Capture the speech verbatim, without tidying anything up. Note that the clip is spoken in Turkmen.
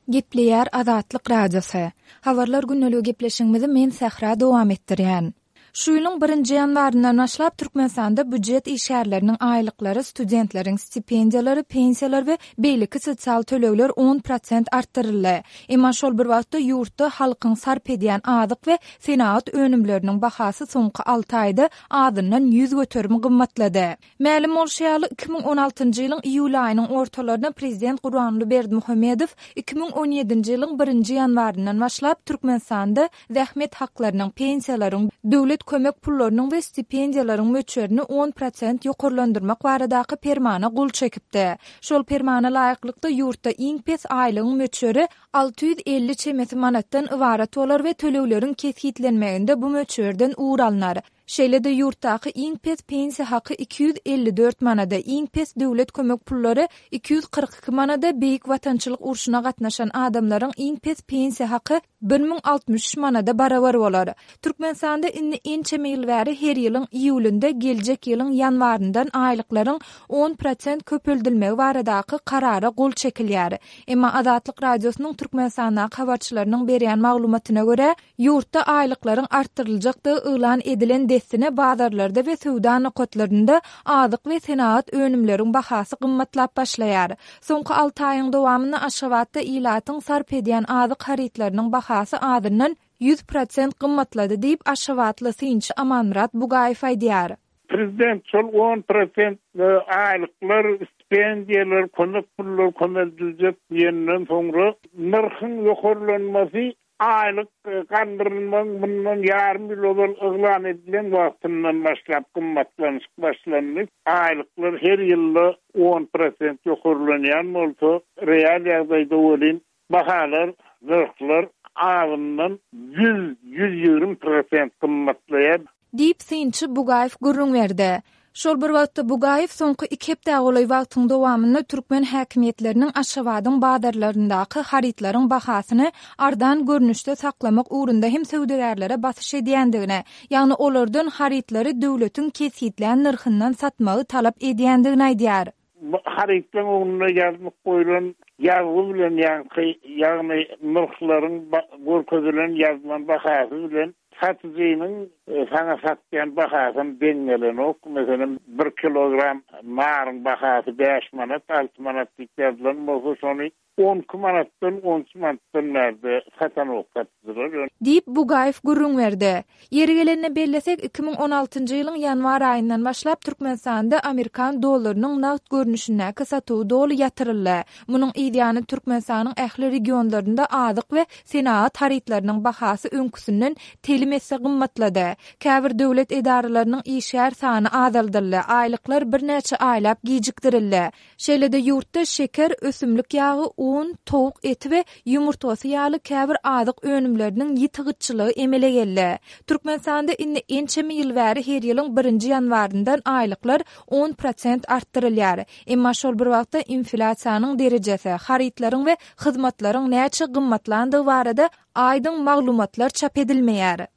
Gepleýär Azatlyk Radiosy. Habarlar gündeligi gepleşigimizi men Sähra dowam etdirýän. Şu ýylyň birinji ýanwaryndan başlap Türkmenistanda býujet işgärleriniň aýlyklary, studentleriň stipendiýalary, pensiýalar we beýleki sosial tölegler on prosent artdyryldy. Emma şol bir wagtda ýurtda halkyň sarp edýän azyk we senagat önümleriniň bahasy soňky alty aýda azyndan ýüz göterim gymmatlady. Mälim bolşy ýaly, iki müň on altynjy ýylyň iýul aýynyň ortalarynda prezident Gurbanguly Berdimuhamedow iki müň on ýedinji ýylyň birinji ýanwaryndan başlap Türkmenistanda zähmet haklarynyň, pensiýalaryň, döwlet kömek pullarynyň we stipendiýalaryň möçberini on prosent ýokarlandyrmak baradaky permana gol çekipdi. Şol permana laýyklykda ýurtda iň pes aýlygyň möçberi alty ýüz elli çemesi manatdan ybarat bolar we tölegleriň kesgitlenmeginde bu möçberden ugur alnar. Şeýle-de ýurtdaky iň pes pensiýa haky iki ýüz elli dört manada, iň pes döwlet kömek pullary iki ýüz kyrk iki manada, Beýik Watançylyk urşuna gatnaşan adamlaryň iň pes pensiýa haky bir müň altmyş üç manada barabar bolar. Türkmenistanda indi ençeme ýyl bäri her ýylyň iýulynda geljek ýylyň ýanwaryndan aýlyklaryň on prosent köpeldilmegi baradaky karara gol çekilýär. Emma Azatlyk Radiosynyň Türkmenistandaky habarçylarynyň berýän maglumatyna görä, ýurtda aýlyklaryň artdyryljakdygy yglan edilen dessine bazarlarda we söwda nokatlarynda azyk we senagat önümleriň bahasy gymmatlap başlaýar. Soňky alty aýyň dowamynda Aşgabatda ilatyň sarp edýän azyk harytlarynyň bahasy azyndan ýüz prosent gymmatlady diýip, aşgabatly synçy Amanmyrat Bugaýew aýdýar. Prezident şol on prosent aýlyklar, stipendiýalar, kömek pullar kömeldiljek diýenden soňra nyrhyň ýokarlanmasy aýlyk galdyrylmagyň mundan ýarym ýyl ozal yglan edilen wagtyndan başlap gymmatlanyşyk başlandy. Aýlyklar her ýylda on prosent ýokarlanýan bolsa, real ýagdaýda welin bahalar, nyrhlar azyndan ýüz, ýüz ýigrimi prosent gymmatlaýar. Diýip synçy Bugaýew gürrüň berdi. Şol bir wagtda Bugaýew soňky iki hepdä golaý wagtyň dowamynda türkmen häkimiýetleriniň Aşgabadyň bazarlaryndaky harytlaryň bahasyny arzan görnüşde saklamak ugrunda hem söwdagärlere basyş edýändigini, ýagny olardan harytlary döwletiň kesgitlän nyrhyndan satmagy talap edýändigini aýdýar. Bu harytlaryň ugrunda ýazlyk goýlan ýazgy bilen ýaňky, ýagny nyrhlaryň ba-, görkezilen ýazylan bahasy bilen satyjynyň, e, saňa satýan bahasy deň gelenok. Meselem, bir kilogram naryň bahasy bäş manat, alty manat diýip ýazylan bolsa, şony on iki manatdan, on üç manatdan bärde satanok satyjylar. Diýip Bugaýew gürrüň berdi. Ýeri gelende bellesek, iki müň on altynjy ýylyň ýanwar aýyndan başlap Türkmenistanda Amerikan dollarynyň nagt görnüşindäki satuwy doly ýatyryldy. Munuň yzýany Türkmenistanyň ähli regionlarynda azyk we senagat harytlarynyň bahasy öňküsinden telim esse gymmatlady. Käbir döwlet edaralarynyň işgär sany azaldyldy, aýlyklar birnäçe aýlap gijikdirildi. Şeýle-de ýurtda şeker, ösümlik ýagy, un, towuk eti we ýumurtgasy ýaly käbir azyk önümleriniň ýiti gytçylygy emele geldi. Türkmenistanda indi ençeme ýyl bäri her ýylyň birinji ýanwaryndan aýlyklar on prosent artdyrylýar. Emma şol bir wagtda inflýasiýanyň derejesi, harytlaryň we hyzmatlaryň näçe gymmatlandygy barada aýdyň maglumatlar çap edilmeýär.